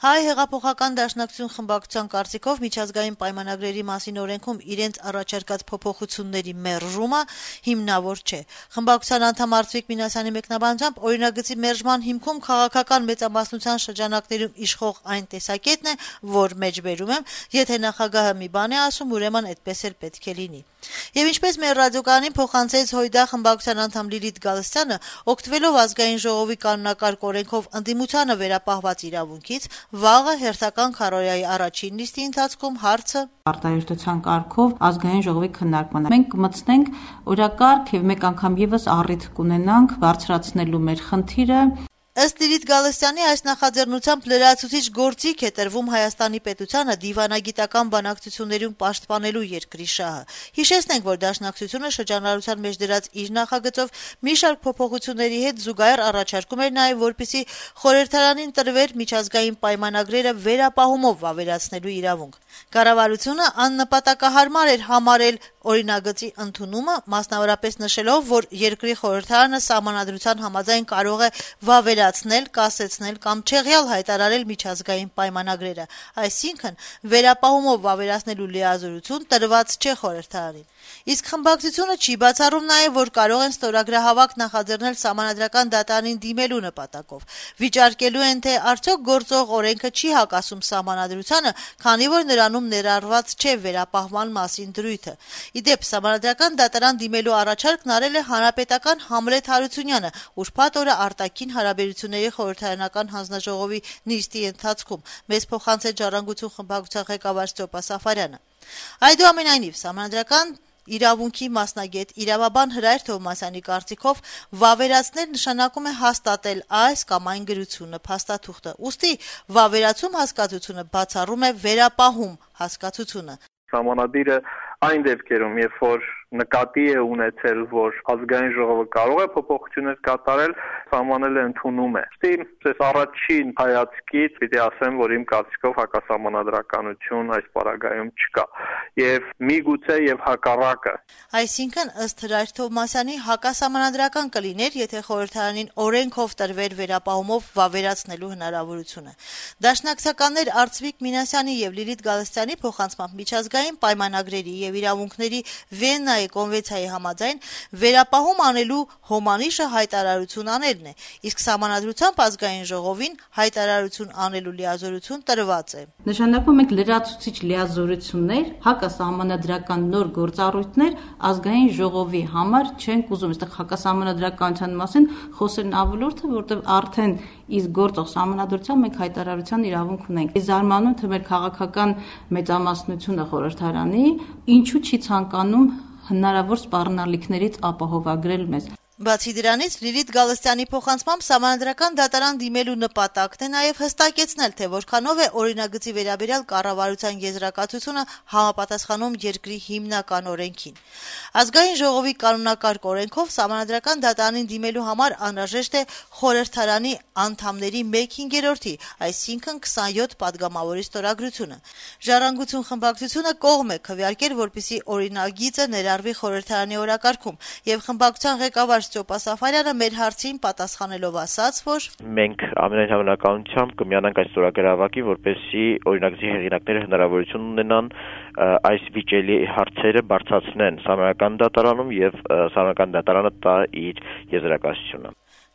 Հայ հեղափոխական դաշնակցություն խմբակցության կարծիքով միջազգային պայմանագրերի մասին օրենքում իրենց առաջարկած փոփոխությունների մերժումը հիմնավոր չէ։ Խմբակցության անդամ Արծվիկ Մինասյանի մեկնաբանությամբ օրինագծի մերժման հիմքում քաղաքական մեծամասնության շրջանակներում իշխող այն տեսակետն է, որ մեջբերում եմ, եթե նախագահը մի բան է ասում, ուրեմն այդպես էլ պետք է լինի։ Եվ ինչպես մեր ռադիոկայանին փոխանցեց Հույդա խմբակցության անդամ Լիլիթ Գալստյանը, օգտվելով ազգային ժողովի կանոնակարգ օրենքով ընդդիմությանը վերապահված իրավունքից, վաղը հերթական քարոզիայի առաջին նիստի ընթացքում հարցը արտահայտության կարգով ազգային ժողովի քննարկման։ Մենք կմտցնենք օրակարգ եւ մեկ անգամ եւս առիթ կունենանք բարձրացնելու մեր խնդիրը։ Ըստ Լիլիթ Գալստյանի այս նախաձեռնությամբ լրացուցիչ գործիք է տրվում Հայաստանի պետությանը դիվանագիտական բանակցություններում պաշտպանելու երկրի շահը։ Հիշեցնենք, որ Դաշնակցությունը շրջանառության մեջ դրած իր նախագծով մի շարք փոփոխությունների հետ զուգահեռ առաջարկում էր նաև, որպեսզի խորհրդարանին տրվեր միջազգային պայմանագրերը վերապահումով վավերացնելու իրավունք։ Կառավարությունը աննպատակահարմար էր համարել օրինագծի ընդունումը, մասնավորապես նշելով, որ երկրի խորհրդարանը սահմանադրության համաձայն կարող է վավերացնել, կասեցնել կամ չեղյալ հայտարարել միջազգային պայմանագրերը, այսինքն վերապահումով վավերացնելու լիազորություն տրված չէ խորհրդարանին։ Իսկ խմբակցությունը չի բացառում նաև, որ կարող են ստորագրահավաք նախաձեռնել Սահմանադրական դատարանին դիմելու նպատակով։ Վիճարկելու են, թե արդյոք գործող օրենքը չի հակասում Սահմանադրությանը, քանի որ նրանում ներառված չէ վերապահման մասին դրույթը։ Իդեպ, Սահմանադրական դատարան դիմելու առաջարկն արել է հանրապետական Համլետ Հարությունյանը ուրբաթ օրը արտաքին հարաբերությունների խորհրդարանական հանձնաժողովի նիստի ընթացքում, մեզ փոխանցեց Ժառանգություն խմբակցության ղեկավար Ստյոպա Սաֆարյանը։ Այդուամենայնիվ, Սահմանադրական իրավունքի մասնագետ իրավաբան Հրայր Թովմասյանի կարծիքով վավերացնել նշանակում է հաստատել այս կամ այն գրությունը, փաստաթուղթը։ Ուստի վավերացում հասկացությունը բացառում է վերապահում հասկացությունը։ Սահմանադիրը այն դեպքերում, երբ որ նկատի է ունեցել, որ ազգային ժողովը կարող է փոփոխություններ կատարել, սահմանելը ընդունում է։ Ես առաջին հայացքից պիտի ասեմ, որ իմ կարծիքով հակասահմանադրականություն այս պարագայում չկա։ Եվ միգուցե եւ հակառակը։ Այսինքն, ըստ Հրայր Թովմասյանի, հակասահմանադրական կլիներ, եթե խորհրդարանին օրենքով տրվեր վերապահումով վավերացնելու հնարավորությունը։ Դաշնակցականներ Արծվիկ Մինասյանի եւ Լիլիթ Գալստյանի փոխանցմամբ միջազգային պայմանագրերի եւ իրավունքների Վիեննայի կոնվենցիայի համաձայն վերապահում անելու հոմանիշը հայտարարություն անելն է, իսկ Սահմանադրությամբ ազգային ժողովին հայտարարություն անելու լիազորություն տրված է։ Նշանակում ենք լրացուցիչ լիազորություններ, հակասահմանադրական նոր գործառույթներ ազգային ժողովի համար չենք ուզում, այստեղ հակասահմանադրականության մասին խոսելն ավելորդ է, որտեղ արդեն իսկ գործող սահմանադրությամբ մենք հայտարարության իրավունք ունենք։ Զարմանում թե մեր քաղաքական մեծամասնությունը խորհրդարանի ինչու չի ցանկանում հնարավոր սպառնալիքներից ապահովագրել մեզ։ Բացի դրանից, Լիլիթ Գալստյանի փոխանցմամբ Սահմանադրական դատարան դիմելու նպատակն է նաև հստակեցնել, թե որքանով է օրինագծի վերաբերյալ կառավարության եզրակացությունը համապատասխանում երկրի հիմնական օրենքին։ Ազգային ժողովի կանոնակարգ օրենքով Սահմանադրական դատարանին դիմելու համար անհրաժեշտ է խորհրդարանի անդամների 1/5-ի, այսինքն 27 падգամավորի ստորագրությունը։ Ժառանգություն խմբակցությունը կողմ է քվեարկել, որպեսզի օրինագիծը ներառվի խորհրդարանի օրակարգում, եւ խմբակցության ղեկավար Ստյոպա Սաֆարյանը մեր հարցին պատասխանելով ասաց, որ մենք ամենայն հավանականությամբ կմիանանք այս ստորագրահավաքի, որպեսզի օրինագծի հեղինակները հնարավորություն ունենան այս վիճելի հարցերը բարձրացնեն Սահմանադրական դատարանում եւ Սահմանադրական դատարանը տա իր եզրակացությունը։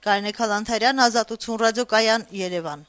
Կարինե Քալանթարյան, Ազատություն ռադիոկայան, Երևան։